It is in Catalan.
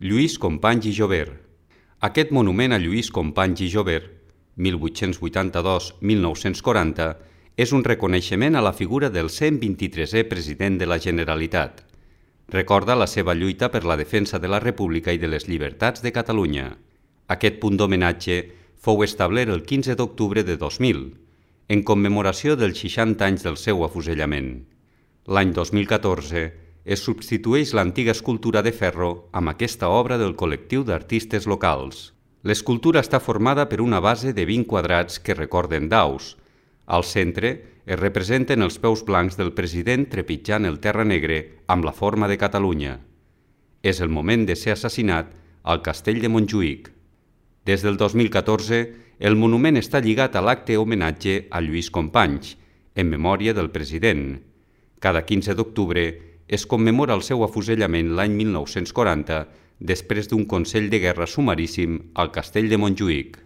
Lluís Companys i Jovert. Aquest monument a Lluís Companys i Jovert, 1882-1940, és un reconeixement a la figura del 123è president de la Generalitat. Recorda la seva lluita per la defensa de la República i de les llibertats de Catalunya. Aquest punt d'homenatge fou establert el 15 d'octubre de 2000, en commemoració dels 60 anys del seu afusellament. L'any 2014 es substitueix l'antiga escultura de ferro amb aquesta obra del col·lectiu d'artistes locals. L'escultura està formada per una base de 20 quadrats que recorden daus. Al centre es representen els peus blancs del president trepitjant el terra negre amb la forma de Catalunya. És el moment de ser assassinat al castell de Montjuïc. Des del 2014, el monument està lligat a l'acte homenatge a Lluís Companys, en memòria del president. Cada 15 d'octubre es commemora el seu afusellament l'any 1940 després d'un consell de guerra sumaríssim al castell de Montjuïc.